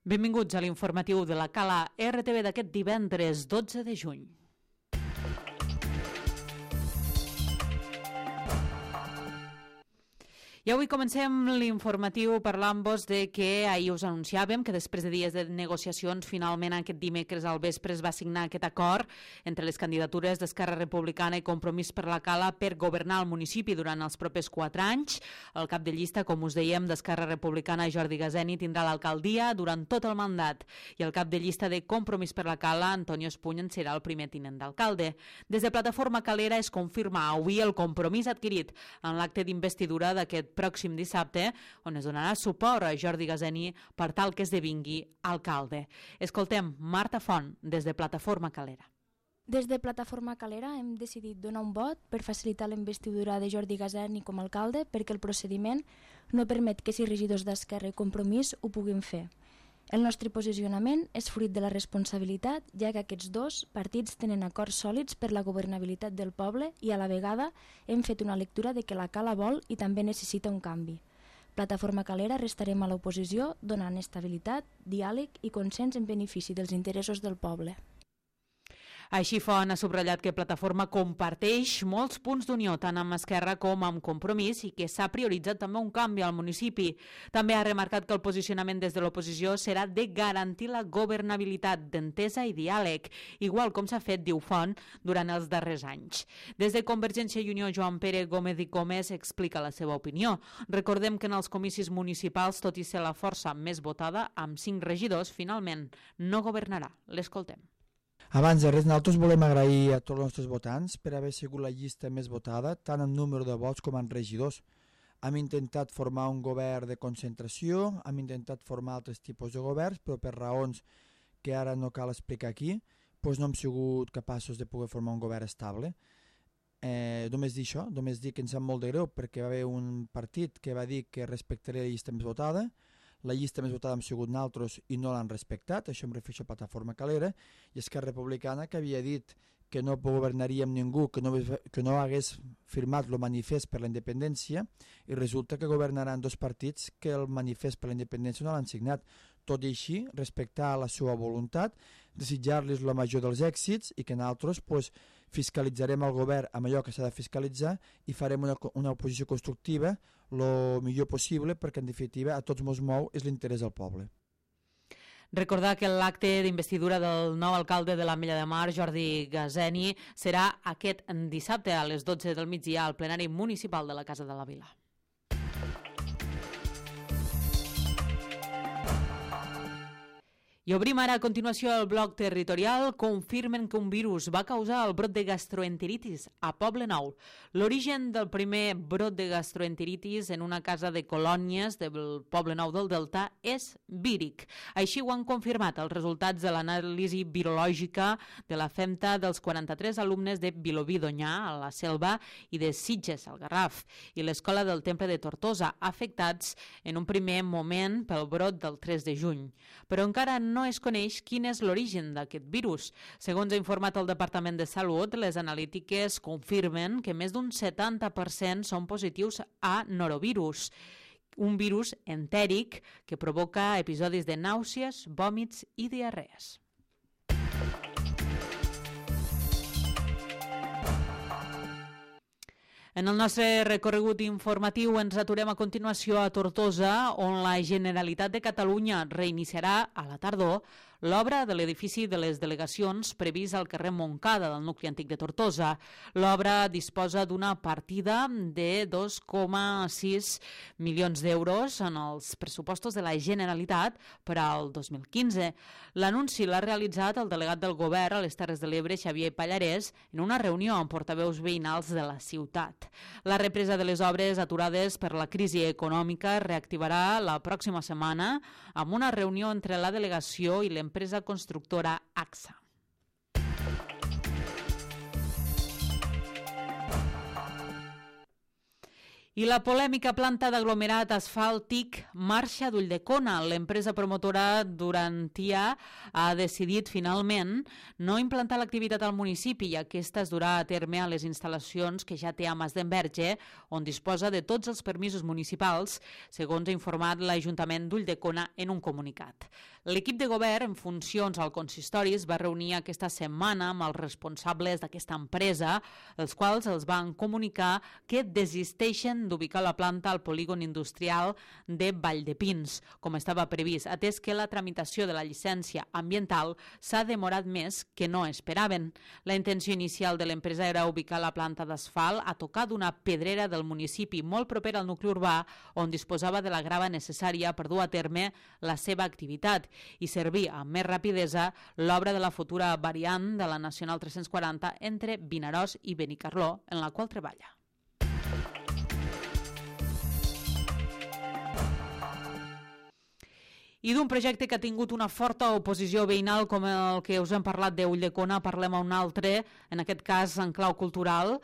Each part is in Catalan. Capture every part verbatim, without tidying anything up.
Benvinguts a l'informatiu de la Cala R T V d'aquest divendres dotze de juny. I avui comencem l'informatiu parlant-vos de que ahir us anunciàvem que després de dies de negociacions finalment aquest dimecres al vespre es va signar aquest acord entre les candidatures d'Esquerra Republicana i Compromís per la Cala per governar el municipi durant els propers quatre anys. El cap de llista, com us dèiem, d'Esquerra Republicana, Jordi Gazeni, tindrà l'alcaldia durant tot el mandat i el cap de llista de Compromís per la Cala, Antonio Espuny, en serà el primer tinent d'alcalde. Des de Plataforma Calera es confirma avui el compromís adquirit en l'acte d'investidura d'aquest pròxim dissabte, on es donarà suport a Jordi Gazeni per tal que esdevingui alcalde. Escoltem Marta Font, des de Plataforma Calera. Des de Plataforma Calera hem decidit donar un vot per facilitar la investidura de Jordi Gazeni com a alcalde perquè el procediment no permet que sis regidors d'Esquerra i Compromís ho puguin fer. El nostre posicionament és fruit de la responsabilitat, ja que aquests dos partits tenen acords sòlids per la governabilitat del poble i a la vegada hem fet una lectura de que la Cala vol i també necessita un canvi. Plataforma Calera restarem a l'oposició donant estabilitat, diàleg i consens en benefici dels interessos del poble. Així Font ha subratllat que Plataforma comparteix molts punts d'unió tant amb Esquerra com amb Compromís i que s'ha prioritzat també un canvi al municipi. També ha remarcat que el posicionament des de l'oposició serà de garantir la governabilitat d'entesa i diàleg, igual com s'ha fet, diu Font, durant els darrers anys. Des de Convergència i Unió, Joan Pere Gómez i Gómez explica la seva opinió. Recordem que en els comicis municipals, tot i ser la força més votada, amb cinc regidors, finalment no governarà. L'escoltem. Abans de res, nosaltres volem agrair a tots els nostres votants per haver sigut la llista més votada, tant en número de vots com en regidors. Hem intentat formar un govern de concentració, hem intentat formar altres tipus de governs, però per raons que ara no cal explicar aquí, doncs no hem sigut capaços de poder formar un govern estable. Eh, només dir això, només dir que ens sap molt de greu perquè va haver un partit que va dir que respectaria la llista més votada. La llista més votada hem sigut nosaltres i no l'han respectat, això em refereixo a Plataforma Calera, i Esquerra Republicana, que havia dit que no governaríem ningú que no, que no hagués firmat el manifest per la independència, i resulta que governaran dos partits que el manifest per la independència no l'han signat. Tot i així, respectar la seva voluntat, desitjar-los el major dels èxits i que nosaltres pues, fiscalitzarem el govern amb allò que s'ha de fiscalitzar i farem una, una oposició constructiva el millor possible perquè en definitiva a tots ens mou és l'interès del poble. Recordar que l'acte d'investidura del nou alcalde de l'Ametlla de Mar, Jordi Gazeni, serà aquest dissabte a les dotze del migdia al plenari municipal de la Casa de la Vila. I obrim ara a continuació el bloc territorial. Confirmen que un virus va causar el brot de gastroenteritis a Poble Nou. L'origen del primer brot de gastroenteritis en una casa de colònies del Poble Nou del Delta és víric. Així ho han confirmat els resultats de l'anàlisi virològica de la femta dels quaranta-tres alumnes de Vilobí d'Onyar, a la Selva, i de Sitges, al Garraf, i l'Escola del Temple de Tortosa, afectats en un primer moment pel brot del tres de juny. Però encara no no es coneix quin és l'origen d'aquest virus. Segons ha informat el Departament de Salut, les analítiques confirmen que més d'un setanta per cent són positius a norovirus, un virus entèric que provoca episodis de nàusees, vòmits i diarrees. En el nostre recorregut informatiu ens aturem a continuació a Tortosa, on la Generalitat de Catalunya reiniciarà a la tardor l'obra de l'edifici de les delegacions previst al carrer Montcada del nucli antic de Tortosa. L'obra disposa d'una partida de dos coma sis milions d'euros en els pressupostos de la Generalitat per al dos mil quinze. L'anunci l'ha realitzat el delegat del Govern a les Terres de l'Ebre, Xavier Pallarès, en una reunió amb portaveus veïnals de la ciutat. La represa de les obres aturades per la crisi econòmica reactivarà la pròxima setmana amb una reunió entre la delegació i l'empresa constructora A X A. I la polèmica planta d'aglomerat asfàltic marxa d'Ulldecona. L'empresa promotora Durantia ha decidit finalment no implantar l'activitat al municipi i aquesta es durà a terme a les instal·lacions que ja té a Masdenverge, on disposa de tots els permisos municipals, segons ha informat l'Ajuntament d'Ulldecona en un comunicat. L'equip de govern en funcions al consistori es va reunir aquesta setmana amb els responsables d'aquesta empresa, els quals els van comunicar que desisteixen d'ubicar la planta al polígon industrial de Valldepins, com estava previst, atès que la tramitació de la llicència ambiental s'ha demorat més que no esperaven. La intenció inicial de l'empresa era ubicar la planta d'asfalt a tocar d'una pedrera del municipi molt proper al nucli urbà, on disposava de la grava necessària per dur a terme la seva activitat i servir amb més rapidesa l'obra de la futura variant de la Nacional tres-cents quaranta entre Vinaròs i Benicarló, en la qual treballa. I d'un projecte que ha tingut una forta oposició veïnal com el que us hem parlat d'Ulldecona, parlem a un altre, en aquest cas en clau cultural,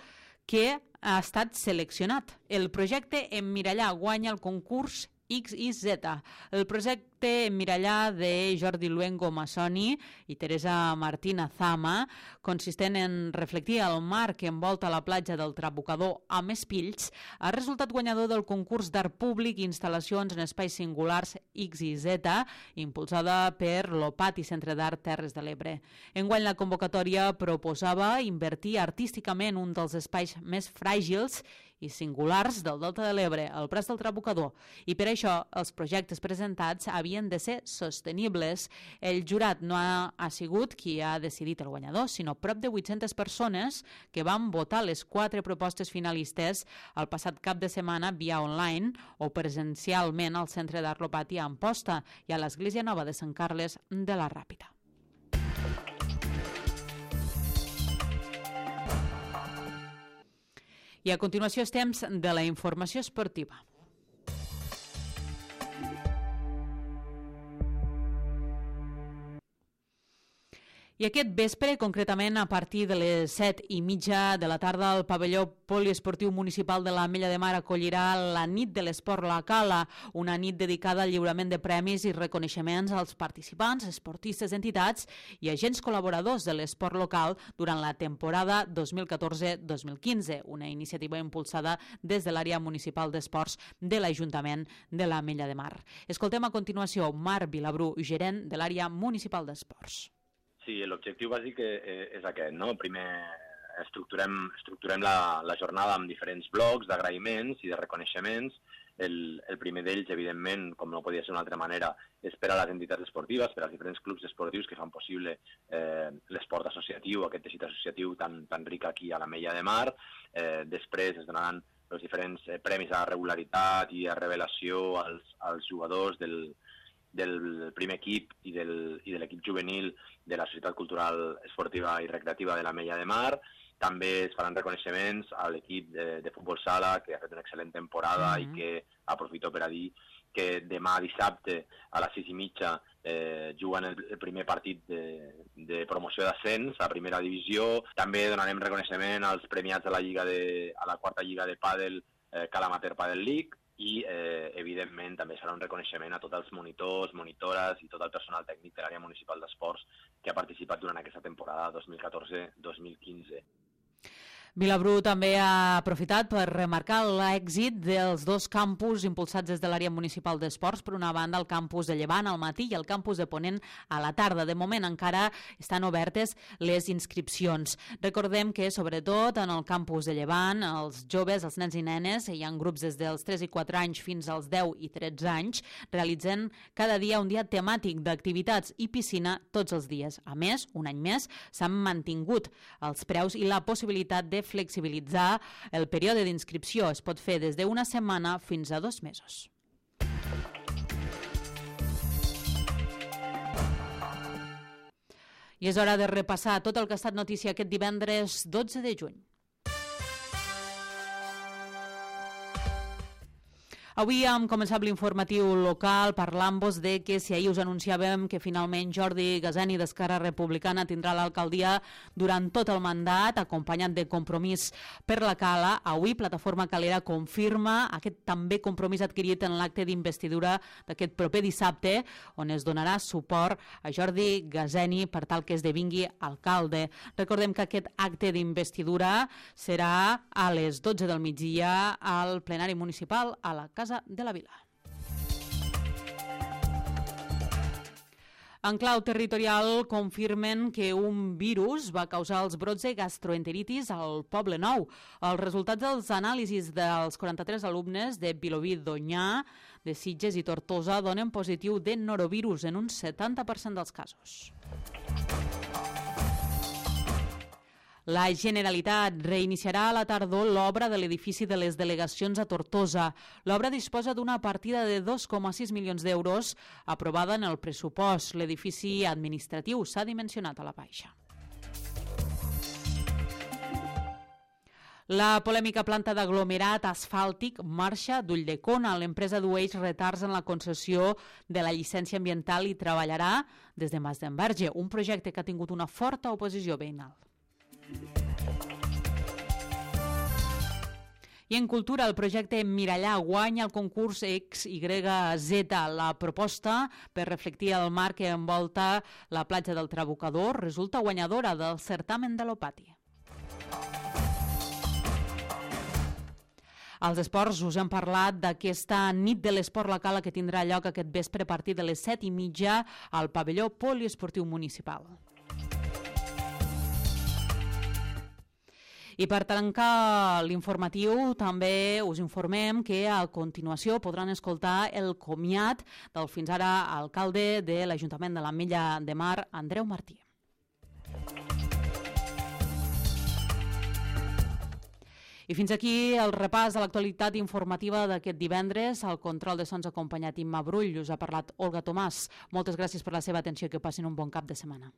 que ha estat seleccionat. El projecte Emmirallar guanya el concurs X Y Z. El projecte Emmirallar de Jordi Luengo Massoni i Teresa Martina Zama, consistent en reflectir el mar que envolta la platja del Trabucador amb espills, ha resultat guanyador del concurs d'art públic i instal·lacions en espais singulars X Y Z, impulsada per l'Opati Centre d'Art Terres de l'Ebre. Enguany la convocatòria proposava invertir artísticament un dels espais més fràgils i singulars del Delta de l'Ebre, el Prat del Trabucador, i per això els projectes presentats havien de ser sostenibles. El jurat no ha, ha sigut qui ha decidit el guanyador, sinó prop de vuit-centes persones que van votar les quatre propostes finalistes el passat cap de setmana via online o presencialment al Centre d'Art Lopati a Amposta i a l'Església Nova de Sant Carles de la Ràpita. I a continuació és temps de la informació esportiva. I aquest vespre, concretament a partir de les set i mitja de la tarda, el pavelló poliesportiu municipal de l'Ametlla de Mar acollirà la nit de l'esport local, una nit dedicada al lliurament de premis i reconeixements als participants, esportistes, entitats i agents col·laboradors de l'esport local durant la temporada dos mil catorze dos mil quinze, una iniciativa impulsada des de l'àrea municipal d'esports de l'Ajuntament de l'Ametlla de Mar. Escoltem a continuació Marc Vilabru, gerent de l'àrea municipal d'esports. Sí, l'objectiu bàsic és aquest, no? Primer estructurem, estructurem la, la jornada amb diferents blocs d'agraïments i de reconeixements. El, el primer d'ells, evidentment, com no podia ser d'una altra manera, és per a les entitats esportives, per als diferents clubs esportius que fan possible eh, l'esport associatiu, aquest teixit associatiu tan, tan ric aquí a l'Ametlla de Mar. Eh, després es donaran els diferents eh, premis a regularitat i a revelació als, als jugadors del del primer equip i, del, i de l'equip juvenil de la Societat Cultural Esportiva i Recreativa de l'Ametlla de Mar. També es faran reconeixements a l'equip de, de futbol sala, que ha fet una excel·lent temporada mm-hmm. i que aprofito per a dir que demà dissabte a les sis i mitja eh, juguen el, el primer partit de, de promoció d'ascens a primera divisió. També donarem reconeixement als premiats a la, lliga de, a la quarta lliga de pàdel eh, Calamater Padel League, i, eh, evidentment, també serà un reconeixement a tots els monitors, monitores i tot el personal tècnic de l'àrea municipal d'esports que ha participat durant aquesta temporada dos mil catorze dos mil quinze. Vilabru també ha aprofitat per remarcar l'èxit dels dos campus impulsats des de l'àrea municipal d'esports. Per una banda, el campus de Llevant al matí i el campus de Ponent a la tarda. De moment encara estan obertes les inscripcions. Recordem que, sobretot, en el campus de Llevant, els joves, els nens i nenes, hi ha grups des dels tres i quatre anys fins als deu i tretze anys, realitzen cada dia un dia temàtic d'activitats i piscina tots els dies. A més, un any més, s'han mantingut els preus i la possibilitat de flexibilitzar el període d'inscripció. Es pot fer des d'una setmana fins a dos mesos. I és hora de repassar tot el que ha estat notícia aquest divendres dotze de juny. Avui hem començat l'informatiu local parlant-vos de que si ahir us anunciàvem que finalment Jordi Gaseni d'Esquerra Republicana tindrà l'alcaldia durant tot el mandat, acompanyat de Compromís per la Cala, avui Plataforma Calera confirma aquest també compromís adquirit en l'acte d'investidura d'aquest proper dissabte, on es donarà suport a Jordi Gaseni per tal que esdevingui alcalde. Recordem que aquest acte d'investidura serà a les dotze del migdia al plenari municipal a la Casa de la Vila. En clau territorial confirmen que un virus va causar els brots de gastroenteritis al Poble Nou. Els resultats dels anàlisis dels quaranta-tres alumnes de Vilobí d'Onyar, de Sitges i Tortosa donen positiu de norovirus en un setanta per cent dels casos. La Generalitat reiniciarà a la tardor l'obra de l'edifici de les delegacions a Tortosa. L'obra disposa d'una partida de dos coma sis milions d'euros aprovada en el pressupost. L'edifici administratiu s'ha dimensionat a la baixa. La polèmica planta d'aglomerat asfàltic marxa d'Ulldecona. L'empresa dueix retards en la concessió de la llicència ambiental i treballarà des de Mas d'Enverge, un projecte que ha tingut una forta oposició veïnal. I en cultura, el projecte Mirallà guanya el concurs X Y Z. La proposta per reflectir el mar que envolta la platja del Trabucador resulta guanyadora del certamen de l'Opati. Als esports us hem parlat d'aquesta nit de l'esport local que tindrà lloc aquest vespre a partir de les set i mitja al pavelló poliesportiu municipal. I per tancar l'informatiu també us informem que a continuació podran escoltar el comiat del fins ara alcalde de l'Ajuntament de l'Ametlla de Mar, Andreu Martí. I fins aquí el repàs de l'actualitat informativa d'aquest divendres. Al control de sons acompanyat Imma Brull, us ha parlat Olga Tomàs. Moltes gràcies per la seva atenció i que passin un bon cap de setmana.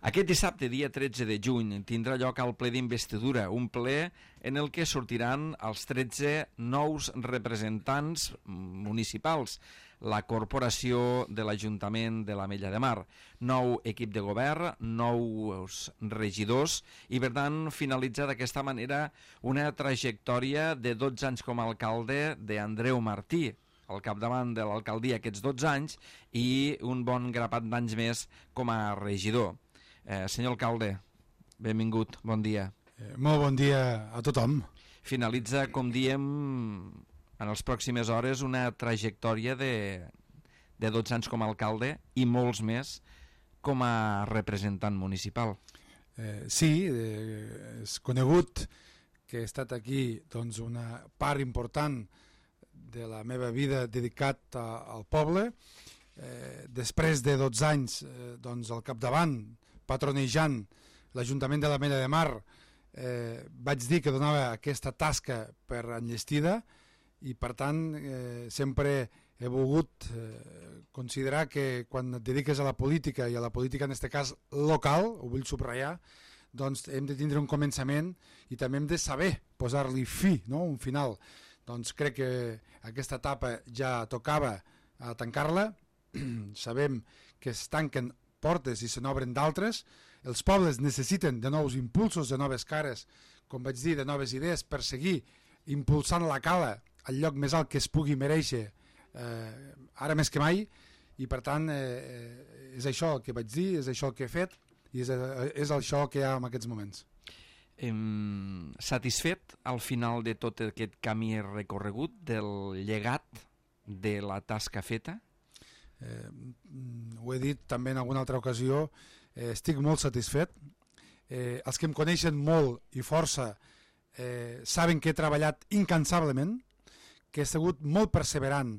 Aquest dissabte, dia tretze de juny, tindrà lloc el ple d'investidura, un ple en el que sortiran els tretze nous representants municipals, la corporació de l'Ajuntament de l'Ametlla de Mar, nou equip de govern, nous regidors i, per tant, finalitzar d'aquesta manera una trajectòria de dotze anys com a alcalde d'Andreu Martí, al capdavant de l'alcaldia aquests dotze anys, i un bon grapat d'anys més com a regidor. Eh, senyor alcalde, benvingut, bon dia. Eh, molt bon dia a tothom. Finalitza, com diem, en les pròximes hores una trajectòria de, de dotze anys com a alcalde i molts més com a representant municipal. Eh, sí, eh, és conegut que he estat aquí doncs, una part important de la meva vida dedicat a, al poble. Eh, després de dotze anys eh, doncs, al capdavant, patronejant l'Ajuntament de l'Ametlla de Mar, eh, vaig dir que donava aquesta tasca per enllestida i per tant eh, sempre he volgut eh, considerar que quan et dediques a la política i a la política en aquest cas local, ho vull subratllar, doncs hem de tindre un començament i també hem de saber posar-li fi, no? Un final. Doncs crec que aquesta etapa ja tocava a tancar-la, sabem que es tanquen portes i se n'obren d'altres, els pobles necessiten de nous impulsos, de noves cares, com vaig dir, de noves idees per seguir impulsant la Cala al lloc més alt que es pugui mereixer eh, ara més que mai, i per tant eh, és això el que vaig dir, és això el que he fet i és, és això que hi ha en aquests moments. Em, satisfet al final de tot aquest camí recorregut del llegat de la tasca feta? Eh, ho he dit també en alguna altra ocasió, eh, estic molt satisfet. Eh, els que em coneixen molt i força eh, saben que he treballat incansablement, que he sigut molt perseverant,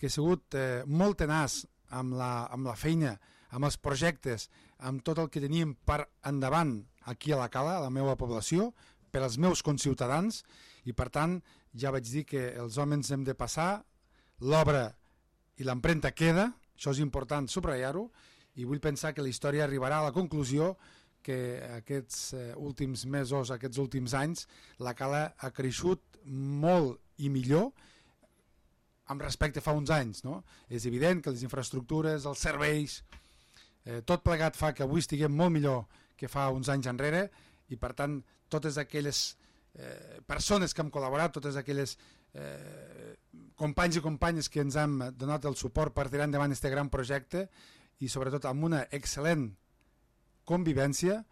que he sigut eh, molt tenaç amb la, amb la feina, amb els projectes, amb tot el que teníem per endavant aquí a la Cala, a la meva població, per als meus conciutadans, i per tant ja vaig dir que els homes hem de passar, l'obra i l'empremta queda, això és important subratllar-ho, i vull pensar que la història arribarà a la conclusió que aquests eh, últims mesos, aquests últims anys, la Cala ha creixut molt i millor amb respecte fa uns anys, no? És evident que les infraestructures, els serveis, eh, tot plegat fa que avui estiguem molt millor que fa uns anys enrere i per tant totes aquelles eh, persones que hem col·laborat, totes aquelles eh, companys i companyes que ens han donat el suport per tirar endavant aquest gran projecte i sobretot amb una excel·lent convivència,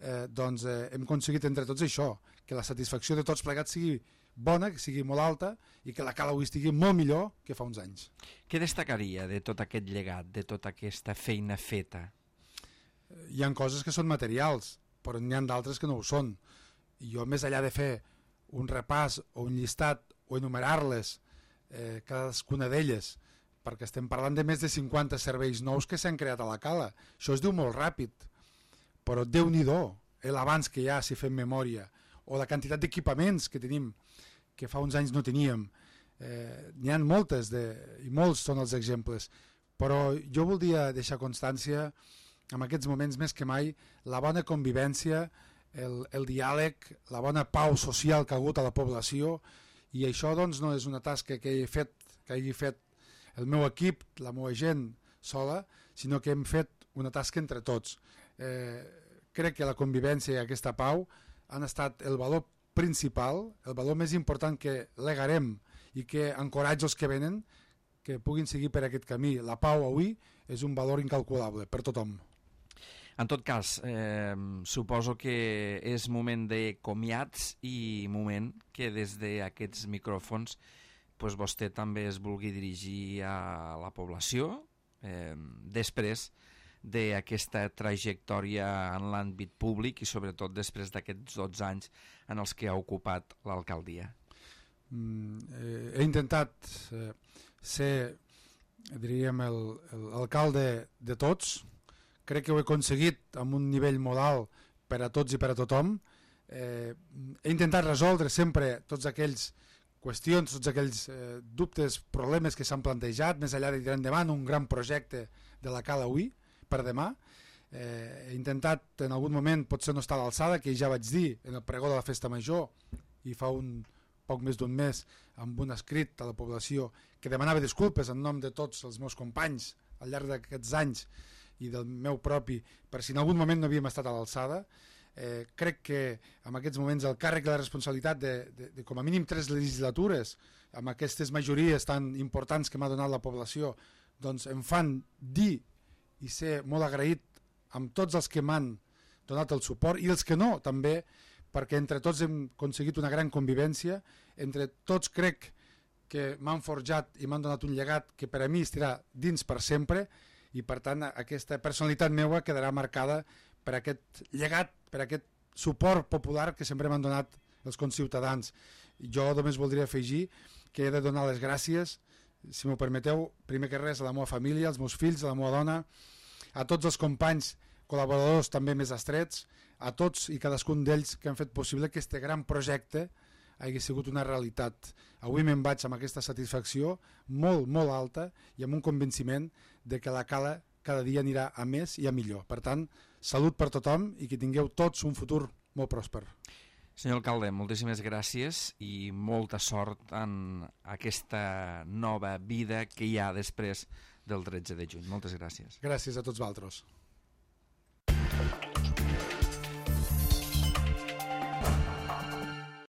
eh, doncs eh, hem aconseguit entre tots això, que la satisfacció de tots plegats sigui bona, que sigui molt alta i que la Cala avui estigui molt millor que fa uns anys. Què destacaria de tot aquest llegat, de tota aquesta feina feta? Hi ha coses que són materials, però n'hi ha d'altres que no ho són. I jo, més enllà de fer un repàs o un llistat o enumerar-les, eh, cadascuna d'elles, perquè estem parlant de més de cinquanta serveis nous que s'han creat a la Cala. Això es diu molt ràpid, però Déu-n'hi-do l'abans que hi ha si fem memòria, o la quantitat d'equipaments que tenim, que fa uns anys no teníem. Eh, n'hi ha moltes, de, i molts són els exemples, però jo voldria deixar constància, en aquests moments més que mai, la bona convivència, el, el diàleg, la bona pau social que ha hagut a la població, i això doncs, no és una tasca que hagi fet, que hagi fet el meu equip, la meva gent sola, sinó que hem fet una tasca entre tots. Eh, crec que la convivència i aquesta pau han estat el valor principal, el valor més important que legarem i que encoratja els que venen que puguin seguir per aquest camí. La pau avui és un valor incalculable per tothom. En tot cas, eh, suposo que és moment de comiats i moment que des d'aquests micròfons pues, vostè també es vulgui dirigir a la població eh, després d'aquesta trajectòria en l'àmbit públic i sobretot després d'aquests dotze anys en els que ha ocupat l'alcaldia. Mm, eh, he intentat eh, ser, diríem, l'alcalde de tots. Crec que ho he aconseguit amb un nivell molt alt per a tots i per a tothom. Eh, he intentat resoldre sempre tots aquells qüestions, tots aquells eh, dubtes, problemes que s'han plantejat, més enllà de tirar endavant un gran projecte de la Cala avui, per demà. Eh, he intentat en algun moment potser no estar a l'alçada, que ja vaig dir en el pregó de la Festa Major i fa un poc més d'un mes amb un escrit a la població que demanava disculpes en nom de tots els meus companys al llarg d'aquests anys i del meu propi, per si en algun moment no havíem estat a l'alçada. Eh, crec que en aquests moments el càrrec i la responsabilitat de, de, de com a mínim tres legislatures amb aquestes majories tan importants que m'ha donat la població, doncs em fan dir i ser molt agraït amb tots els que m'han donat el suport i els que no també, perquè entre tots hem aconseguit una gran convivència, entre tots crec que m'han forjat i m'han donat un llegat que per a mi estirà dins per sempre i per tant aquesta personalitat meva quedarà marcada per aquest llegat, per aquest suport popular que sempre m'han donat els conciutadans. Jo només voldria afegir que he de donar les gràcies, si m'ho permeteu, primer que res a la meva família, als meus fills, a la meva dona, a tots els companys col·laboradors també més estrets, a tots i cadascun d'ells que han fet possible que aquest gran projecte hagi sigut una realitat. Avui me'n vaig amb aquesta satisfacció molt, molt alta i amb un convenciment de que la Cala cada dia anirà a més i a millor. Per tant, salut per tothom i que tingueu tots un futur molt pròsper. Senyor alcalde, moltíssimes gràcies i molta sort en aquesta nova vida que hi ha després del tretze de juny. Moltes gràcies. Gràcies a tots vosaltres.